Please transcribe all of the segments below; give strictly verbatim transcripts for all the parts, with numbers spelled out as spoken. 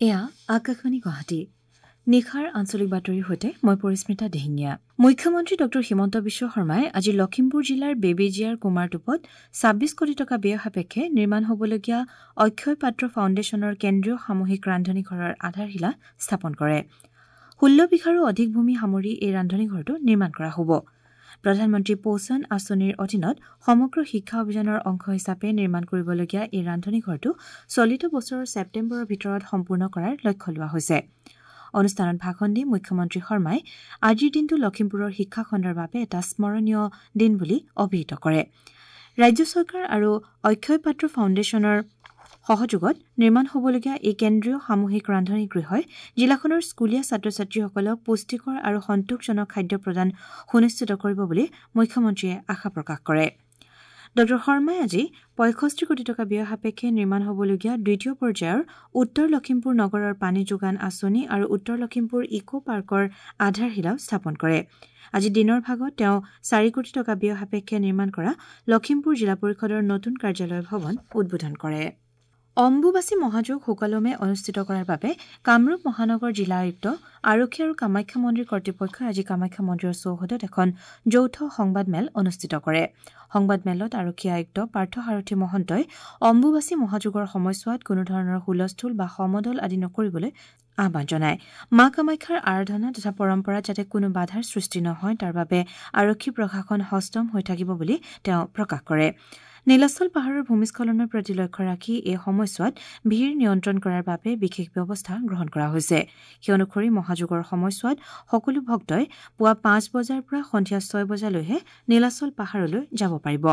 এয়া আকাশবাণী গুৱাহাটী। নিশাৰ আঞ্চলিক বাতৰিৰ সৈতে মই পৰিস্মিতা দিহিঙীয়া। মুখ্যমন্ত্ৰী ডঃ হিমন্ত বিশ্ব শৰ্মাই আজি লখিমপুৰ জিলাৰ বেবেজীয়াৰ কুমাৰটোপত ছাব্বিছ কোটি টকা ব্যয় সাপেক্ষে নিৰ্মাণ হ'বলগীয়া অক্ষয় পাত্ৰ ফাউণ্ডেশ্যনৰ কেন্দ্ৰীয় সামূহিক ৰান্ধনী ঘৰৰ আধাৰশিলা স্থাপন কৰে। ষোল্ল বিঘাৰো অধিক ভূমি সামৰি এই ৰান্ধনী ঘৰটো নিৰ্মাণ কৰা হ'ব। প্ৰধানমন্ত্ৰী পোষণ আঁচনিৰ অধীনত সমগ্ৰ শিক্ষা অভিযানৰ অংশ হিচাপে নিৰ্মাণ কৰিবলগীয়া এই ৰান্ধনী ঘৰটো চলিত বছৰৰ ছেপ্টেম্বৰৰ ভিতৰত সম্পূৰ্ণ কৰাৰ লক্ষ্য লোৱা হৈছে। অনুষ্ঠানত ভাষণ দি মুখ্যমন্ত্ৰী শৰ্মাই আজিৰ দিনটো লখিমপুৰৰ শিক্ষাখণ্ডৰ বাবে এটা স্মৰণীয় দিন বুলি অভিহিত কৰে। ৰাজ্য চৰকাৰ আৰু অক্ষয় পাত্ৰ ফাউণ্ডেশ্যনৰ সহযোগত নিৰ্মাণ হ'বলগীয়া এই কেন্দ্ৰীয় সামূহিক ৰান্ধনী গৃহই জিলাখনৰ স্কুলীয়া ছাত্ৰ ছাত্ৰীসকলক পুষ্টিকৰ আৰু সন্তোষজনক খাদ্য প্ৰদান সুনিশ্চিত কৰিব বুলি মুখ্যমন্ত্ৰীয়ে আশা প্ৰকাশ কৰে। ডঃ শৰ্মাই আজি পঁয়ষষ্ঠি কোটি টকা ব্যয় সাপেক্ষে নিৰ্মাণ হ'বলগীয়া দ্বিতীয় পৰ্যায়ৰ উত্তৰ লখিমপুৰ নগৰৰ পানী যোগান আঁচনি আৰু উত্তৰ লখিমপুৰ ইক' পাৰ্কৰ আধাৰশিলাও স্থাপন কৰে। আজি দিনৰ ভাগত তেওঁ চাৰি কোটি টকা ব্যয় সাপেক্ষে নিৰ্মাণ কৰা লখিমপুৰ জিলা পৰিষদৰ নতুন কাৰ্যালয় ভৱন উদ্বোধন কৰে। অম্বুবাচী মহাযোগ সুকলমে অনুষ্ঠিত কৰাৰ বাবে কামৰূপ মহানগৰ জিলা আয়ুক্ত, আৰক্ষী আৰু কামাখ্যা মন্দিৰ কৰ্তৃপক্ষই আজি কামাখ্যা মন্দিৰৰ চৌহদত এখন যৌথ সংবাদমেল অনুষ্ঠিত কৰে। সংবাদমেলত আৰক্ষী আয়ুক্ত পাৰ্থসাৰথি মহন্তই অম্বুবাচী মহাযোগৰ সময়ছোৱাত কোনোধৰণৰ হুলস্থুল বা সমদল আদি নকৰিবলৈ আহ্বান জনায়। মা কামাখ্যাৰ আৰাধনা তথা পৰম্পৰাত যাতে কোনো বাধাৰ সৃষ্টি নহয় তাৰ বাবে আৰক্ষী প্ৰশাসন সষ্টম হৈ থাকিব বুলি তেওঁ প্ৰকাশ কৰে। নীলাচল পাহাৰৰ ভূমিস্খলনৰ প্ৰতি লক্ষ্য ৰাখি এই সময়ছোৱাত ভিৰ নিয়ন্ত্ৰণ কৰাৰ বাবে বিশেষ ব্যৱস্থা গ্ৰহণ কৰা হৈছে। সেই অনুসৰি মহাযোগৰ সময়ছোৱাত সকলো ভক্তই পুৱা পাঁচ বজাৰ পৰা সন্ধিয়া ছয় বজালৈহে নীলাচল পাহাৰলৈ যাব পাৰিব।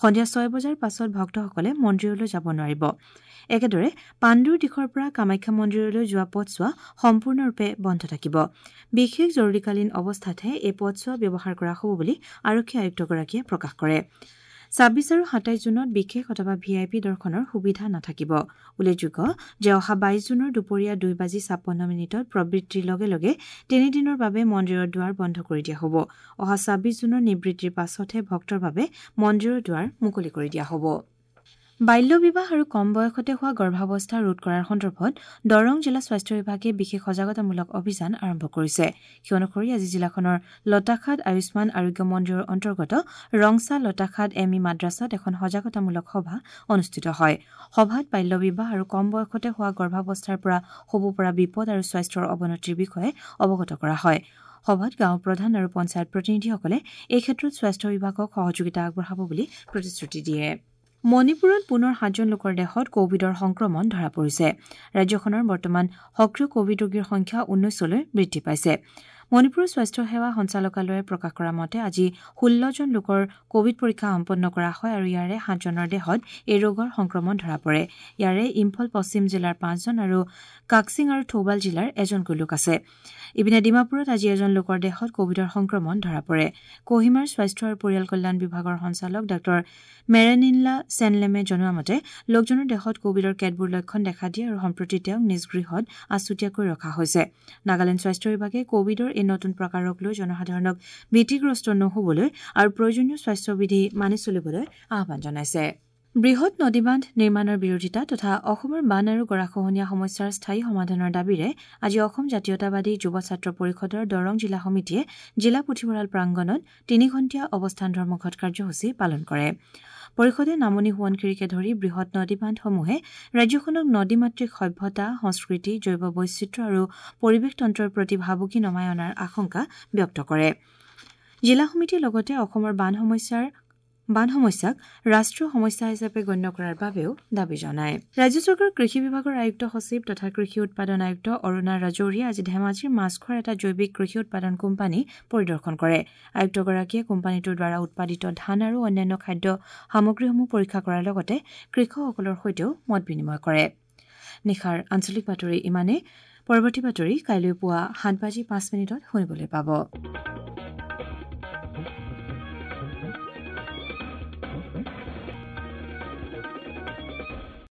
সন্ধিয়া ছয় বজাৰ পাছত ভক্তসকলে মন্দিৰলৈ যাব নোৱাৰিব। একেদৰে পাণ্ডুৰ দিশৰ পৰা কামাখ্যা মন্দিৰলৈ যোৱা পথছোৱা সম্পূৰ্ণৰূপে বন্ধ থাকিব। বিশেষ জৰুৰীকালীন অৱস্থাতহে এই পথছোৱা ব্যৱহাৰ কৰা হ'ব বুলি আৰক্ষী আয়ুক্তগৰাকীয়ে প্ৰকাশ কৰে। ছাব্বিছ আৰু সাতাইছ জুনত বিশেষ অথবা ভি আই পি দৰ্শনৰ সুবিধা নাথাকিব। উল্লেখযোগ্য যে অহা বাইছ জুনৰ দুপৰীয়া দুই বাজি ছাপন্ন মিনিটত প্ৰবৃত্তিৰ লগে লগে তিনিদিনৰ বাবে মন্দিৰৰ দুৱাৰ বন্ধ কৰি দিয়া হ'ব। অহা ছাব্বিছ জুনৰ নিবৃত্তিৰ পাছতহে ভক্তৰ বাবে মন্দিৰৰ দুৱাৰ মুকলি কৰি দিয়া হ'ব। বাল্য বিবাহ আৰু কম বয়সতে হোৱা গৰ্ভাৱস্থা ৰোধ কৰাৰ সন্দৰ্ভত দৰং জিলা স্বাস্থ্য বিভাগে বিশেষ সজাগতামূলক অভিযান আৰম্ভ কৰিছে। সেই অনুসৰি আজি জিলাখনৰ লতাখাট আয়ুষ্মান আৰোগ্য মন্দিৰৰ অন্তৰ্গত ৰংচা লতাখাট এম ই মাদ্ৰাছাত এখন সজাগতামূলক সভা অনুষ্ঠিত হয়। সভাত বাল্য বিবাহ আৰু কম বয়সতে হোৱা গৰ্ভাৱস্থাৰ পৰা হ'ব পৰা বিপদ আৰু স্বাস্থ্যৰ অৱনতিৰ বিষয়ে অৱগত কৰা হয়। সভাত গাঁও প্ৰধান আৰু পঞ্চায়ত প্ৰতিনিধিসকলে এই ক্ষেত্ৰত স্বাস্থ্য বিভাগক সহযোগিতা আগবঢ়াব বুলি প্ৰতিশ্ৰুতি দিয়ে। মণিপুৰত পুনৰ সাতজন লোকৰ দেহত কভিডৰ সংক্ৰমণ ধৰা পৰিছে। ৰাজ্যখনৰ বৰ্তমান সক্ৰিয় কভিড ৰোগীৰ সংখ্যা ঊনৈছলৈ বৃদ্ধি পাইছে। মণিপুৰৰ স্বাস্থ্য সেৱা সঞ্চালকালয়ে প্ৰকাশ কৰা মতে আজি ষোল্লজন লোকৰ কভিড পৰীক্ষা সম্পন্ন কৰা হয় আৰু ইয়াৰে সাতজনৰ দেহত এই ৰোগৰ সংক্ৰমণ ধৰা পৰে। ইয়াৰে ইম্ফল পশ্চিম জিলাৰ পাঁচজন আৰু কাকচিং আৰু থৌবাল জিলাৰ এজনকৈ লোক আছে। ইপিনে ডিমাপুৰত আজি এজন লোকৰ দেহত কভিডৰ সংক্ৰমণ ধৰা পৰে। কহিমাৰ স্বাস্থ্য আৰু পৰিয়াল কল্যাণ বিভাগৰ সঞ্চালক ডাঃ মেৰেনিনলা চেনলেমে জনোৱা মতে লোকজনৰ দেহত কভিডৰ কেতবোৰ লক্ষণ দেখা দিয়ে আৰু সম্প্ৰতি তেওঁক নিজ গৃহত আছুতীয়াকৈ ৰখা হৈছে। নাগালেণ্ড স্বাস্থ্য বিভাগে কভিডৰ এই নতুন প্ৰকাৰক লৈ জনসাধাৰণক ভীতিগ্ৰস্ত নহ'বলৈ আৰু প্ৰয়োজনীয় স্বাস্থ্যবিধি মানি চলিবলৈ আহ্বান জনাইছে। বৃহৎ নদীবান্ধ নিৰ্মাণৰ বিৰোধিতা তথা অসমৰ বান আৰু গৰাখহনীয়া সমস্যাৰ স্থায়ী সমাধানৰ দাবীৰে আজি অসম জাতীয়তাবাদী যুৱ ছাত্ৰ পৰিষদৰ দৰং জিলা সমিতিয়ে জিলা পুথিভঁৰাল প্ৰাংগণত তিনিঘণ্টীয়া অৱস্থান ধৰ্মঘট কাৰ্যসূচী পালন কৰে। পৰিষদে নামনি সোৱণশিৰিকে ধৰি বৃহৎ নদীবান্ধসমূহে ৰাজ্যখনক নদীমাতৃক সভ্যতা, সংস্কৃতি, জৈৱ বৈচিত্ৰ্য আৰু পৰিৱেশতন্ত্ৰৰ প্ৰতি ভাবুকি নমাই অনাৰ আশংকা ব্যক্ত কৰে। জিলা সমিতিয়ে লগতে অসমৰ বান সমস্যাৰ বান সমস্যাক ৰাষ্ট্ৰীয় সমস্যা হিচাপে গণ্য কৰাৰ বাবেও দাবী জনায়। ৰাজ্য চৰকাৰৰ কৃষি বিভাগৰ আয়ুক্ত সচিব তথা কৃষি উৎপাদন আয়ুক্ত অৰুণা ৰাজৌৰীয়ে আজি ধেমাজিৰ মাছখোৱাৰ এটা জৈৱিক কৃষি উৎপাদন কোম্পানী পৰিদৰ্শন কৰে। আয়ুক্তগৰাকীয়ে কোম্পানীটোৰ দ্বাৰা উৎপাদিত ধান আৰু অন্যান্য খাদ্য সামগ্ৰীসমূহ পৰীক্ষা কৰাৰ লগতে কৃষকসকলৰ সৈতেও মত বিনিময় কৰে। নিশাৰ আঞ্চলিক বাতৰি ইমানেই। পৰৱৰ্তী বাতৰি কাইলৈ পুৱা সাত বাজি পাঁচ মিনিটত শুনিবলৈ পাব।